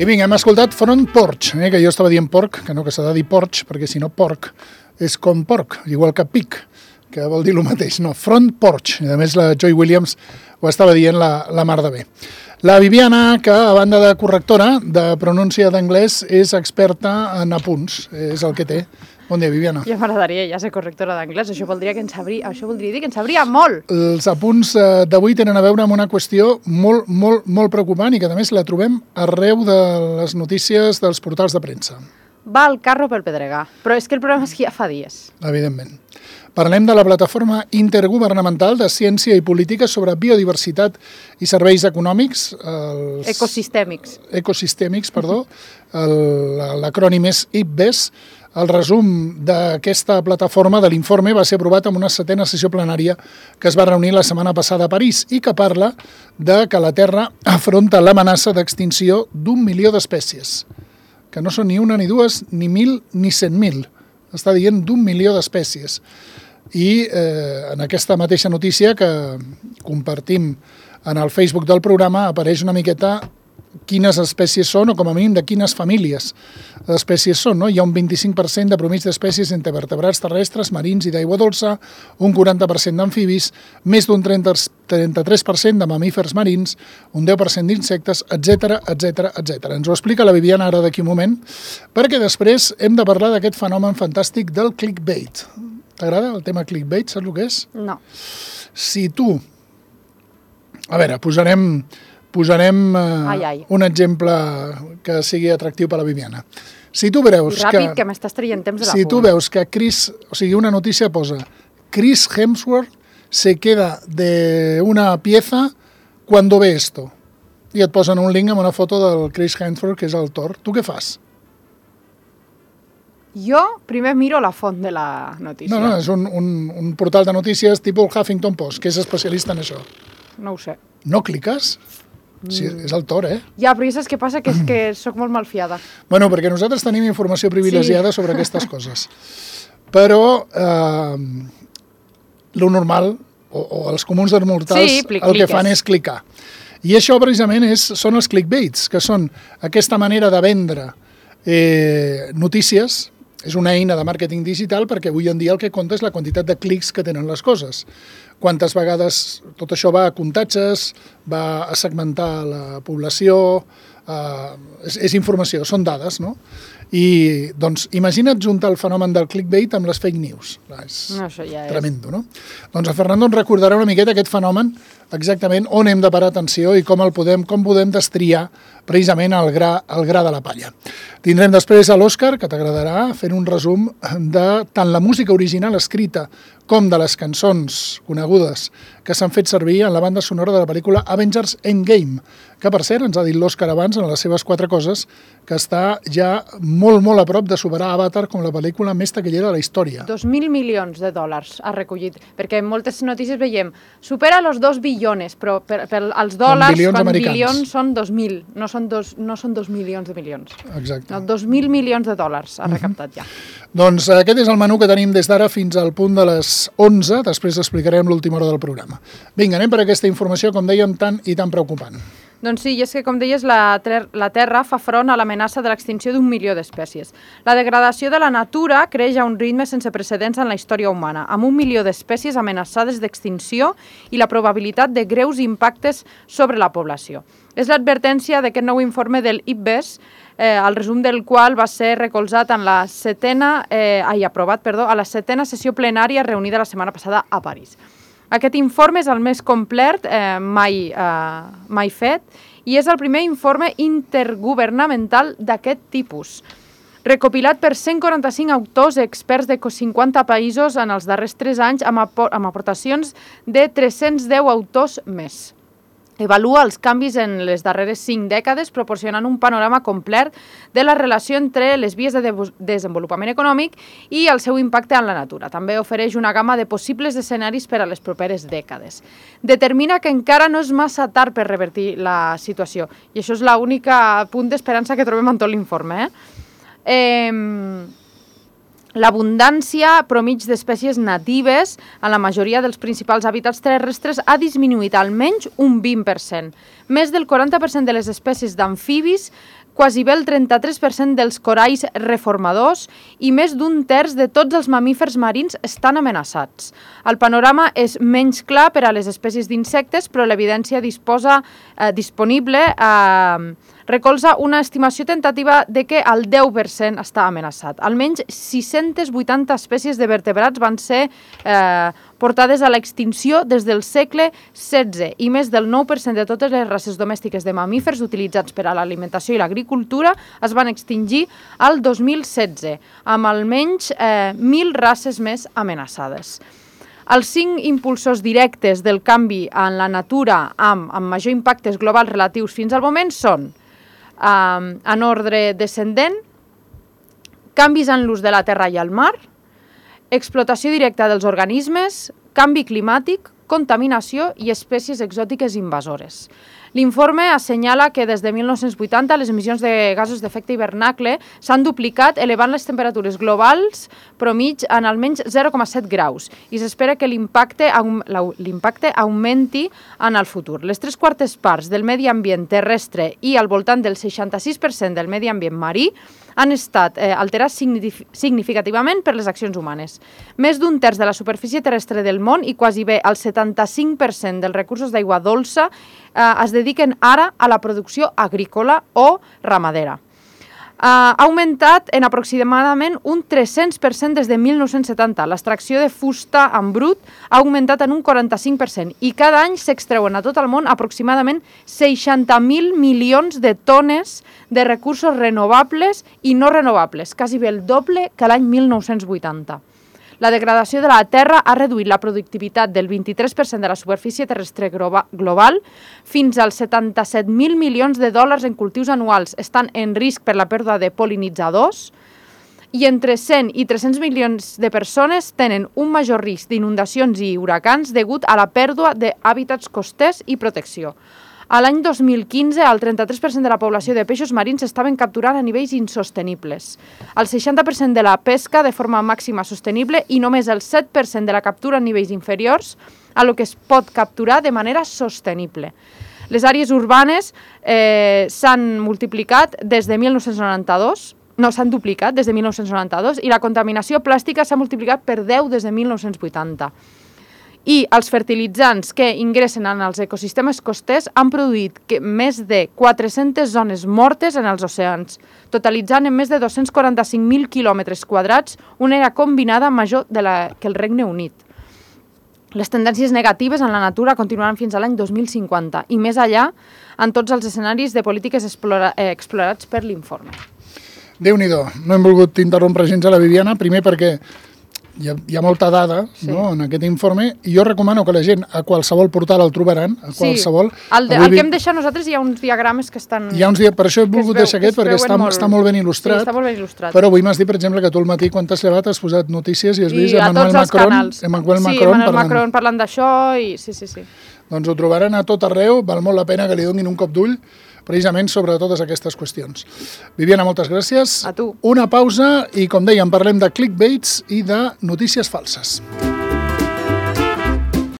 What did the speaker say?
I vinga, hem escoltat Front Porch, que jo estava dient porc, que no, que s'ha de dir porch, perquè si no porc és com porc, igual que pic, que vol dir el mateix. No, Front Porch. I a més la Joy Williams ho estava dient la mar de bé. La Viviana, que a banda de correctora de pronúncia d'anglès, és experta en apunts, és el que té. Bon dia, Viviana. Ja m'agradaria ja ser correctora d'anglès, això voldria dir que en sabria molt. Els apunts d'avui tenen a veure amb una qüestió molt preocupant i que a més la trobem arreu de les notícies dels portals de premsa. Va el carro pel pedregar, però és que el problema és que ja fa dies. Evidentment. Parlem de la plataforma intergovernamental de ciència i política sobre biodiversitat i serveis econòmics. Ecosistèmics, perdó. L'acrònim és IPBES. El resum d'aquesta plataforma de l'informe va ser aprovat en una 7a sessió plenària que es va reunir la setmana passada a París i que parla de que la Terra afronta l'amenaça d'extinció d'1 milió d'espècies, que no són ni una, ni dues, ni 1.000, ni 100.000. Està dient d'1 milió d'espècies. I en aquesta mateixa notícia que compartim en el Facebook del programa apareix una miqueta quines espècies són o com a mínim de quines famílies d'espècies són. No? Hi ha un 25% de promís d'espècies entre vertebrats terrestres, marins i d'aigua dolça, un 40% d'amfibis, més d'un 33% de mamífers marins, un 10% d'insectes, etc. Ens ho explica la Viviana ara d'aquí un moment, perquè després hem de parlar d'aquest fenomen fantàstic del clickbait. T'agrada el tema clickbait? Saps el que és? No. Si tu... A veure, posarem un exemple que sigui atractiu per a la Viviana. Si tu veus ràpid, que m'estàs traient temps de la Si tu veus que una notícia posa Chris Hemsworth se queda de una pieza cuando ve esto, i et posen un link amb una foto del Chris Hemsworth, que és el Thor, tu què fas? Jo primer miro la font de la notícia. No, és un portal de notícies tipus el Huffington Post, que és especialista en això. No ho sé. No cliques? Sí, és el Thor, Ja, però saps què passa? Que és que soc molt malfiada. Bueno, perquè nosaltres tenim informació privilegiada sobre aquestes coses. Però lo normal, o els comuns dels mortals, el que fan és clicar. I això precisament són els clickbaits, que són aquesta manera de vendre notícies. És una eina de màrqueting digital perquè avui en dia el que compta és la quantitat de clics que tenen les coses. Quantes vegades tot això va a comptatges, va a segmentar la població, és informació, són dades, no? I, doncs, imagina't juntar el fenomen del clickbait amb les fake news. És tremendo, no? Doncs el Fernando ens recordarà una miqueta aquest fenomen, exactament on hem de parar atenció i com podem destriar precisament el gra de la palla. Tindrem després a l'Òscar, que t'agradarà, fent un resum de tant la música original escrita com de les cançons conegudes que s'han fet servir en la banda sonora de la pel·lícula Avengers Endgame, que per cert ens ha dit l'Òscar abans en les seves 4 coses que està ja molt a prop de superar Avatar com la pel·lícula més taquillera de la història. 2.000 milions de dòlars ha recollit, perquè en moltes notícies veiem supera els 2 billones, però els dòlars, quan bilions són 2.000, no són 2 milions de milions. Exacte. No, 2.000 milions de dòlars ha recaptat ja. Doncs aquest és el menú que tenim des d'ara fins al punt de les 11, després explicarem l'última hora del programa. Vinga, anem per aquesta informació, com dèiem, tan i tan preocupant. Doncs sí, i és que, com deies, la Terra fa front a l'amenaça de l'extinció d'1 milió d'espècies. La degradació de la natura creix a un ritme sense precedents en la història humana, amb 1 milió d'espècies amenaçades d'extinció i la probabilitat de greus impactes sobre la població. És l'advertència d'aquest nou informe del IPBES, el resum del qual va ser recolzat en la aprovat a la 7a sessió plenària reunida la setmana passada a París. Aquest informe és el més complet mai fet i és el primer informe intergovernamental d'aquest tipus, recopilat per 145 autors i experts de 50 països en els darrers 3 anys amb aportacions de 310 autors més. Evalua els canvis en les darreres 5 dècades, proporcionant un panorama complet de la relació entre les vies de desenvolupament econòmic i el seu impacte en la natura. També ofereix una gamma de possibles escenaris per a les properes dècades. Determina que encara no és massa tard per revertir la situació. I això és l'únic punt d'esperança que trobem en tot l'informe. L'abundància promig d'espècies natives en la majoria dels principals hàbitats terrestres ha disminuït almenys un 20%. Més del 40% de les espècies d'amfibis quasi bé el 33% dels coralls reformadors i més d'un terç de tots els mamífers marins estan amenaçats. El panorama és menys clar per a les espècies d'insectes, però l'evidència disponible recolza una estimació tentativa de que el 10% està amenaçat. Almenys 680 espècies de vertebrats van ser portades a l'extinció des del segle XVI i més del 9% de totes les races domèstiques de mamífers utilitzats per a l'alimentació i l'agricultura es van extingir al 2016, amb almenys 1.000 races més amenaçades. Els 5 impulsors directes del canvi en la natura amb major impactes globals relatius fins al moment són, en ordre descendent, canvis en l'ús de la terra i el mar, explotació directa dels organismes, canvi climàtic, contaminació i espècies exòtiques invasores. L'informe assenyala que des de 1980 les emissions de gasos d'efecte hivernacle s'han duplicat, elevant les temperatures globals promig en almenys 0,7 graus i s'espera que l'impacte augmenti en el futur. Les 3/4 parts del medi ambient terrestre i al voltant del 66% del medi ambient marí han estat alterats significativament per les accions humanes. Més d'un terç de la superfície terrestre del món i quasi bé el 75% dels recursos d'aigua dolça es dediquen ara a la producció agrícola o ramadera. Ha augmentat en aproximadament un 300% des de 1970. L'extracció de fusta en brut ha augmentat en un 45% i cada any s'extreuen a tot el món aproximadament 60.000 milions de tones de recursos renovables i no renovables, quasi bé el doble que l'any 1980. La degradació de la terra ha reduït la productivitat del 23% de la superfície terrestre global fins als 77.000 milions de dòlars en cultius anuals. Estan en risc per la pèrdua de pol·linitzadors i entre 100 i 300 milions de persones tenen un major risc d'inundacions i huracans degut a la pèrdua d'hàbitats costers i protecció. A l'any 2015, el 33% de la població de peixos marins estaven capturant a nivells insostenibles. El 60% de la pesca de forma màxima sostenible i només el 7% de la captura a nivells inferiors a lo que es pot capturar de manera sostenible. Les àrees urbanes s'han multiplicat des de 1992, s'han duplicat des de 1992 i la contaminació plàstica s'ha multiplicat per 10 des de 1980. I els fertilitzants que ingressen en els ecosistemes costers han produït més de 400 zones mortes en els oceans, totalitzant en més de 245.000 quilòmetres quadrats una àrea combinada major que el Regne Unit. Les tendències negatives en la natura continuaran fins a l'any 2050 i més allà en tots els escenaris de polítiques explorats per l'informe. Déu-n'hi-do, no hem volgut interrompre gens a la Viviana, primer perquè hi ha molta dada en aquest informe i jo recomano que la gent a qualsevol portal el trobaran, a qualsevol... El que hem deixat nosaltres hi ha uns diagrames que estan... Per això he volgut deixar aquest, perquè està molt ben il·lustrat. Sí, està molt ben il·lustrat. Però avui m'has dit, per exemple, que tu al matí, quan t'has llevat, has posat notícies i has vist Emmanuel Macron parlant d'això i... Sí. Doncs ho trobaran a tot arreu, val molt la pena que li donin un cop d'ull precisament sobre totes aquestes qüestions. Viviana, moltes gràcies. A tu. Una pausa i, com dèiem, parlem de clickbaits i de notícies falses.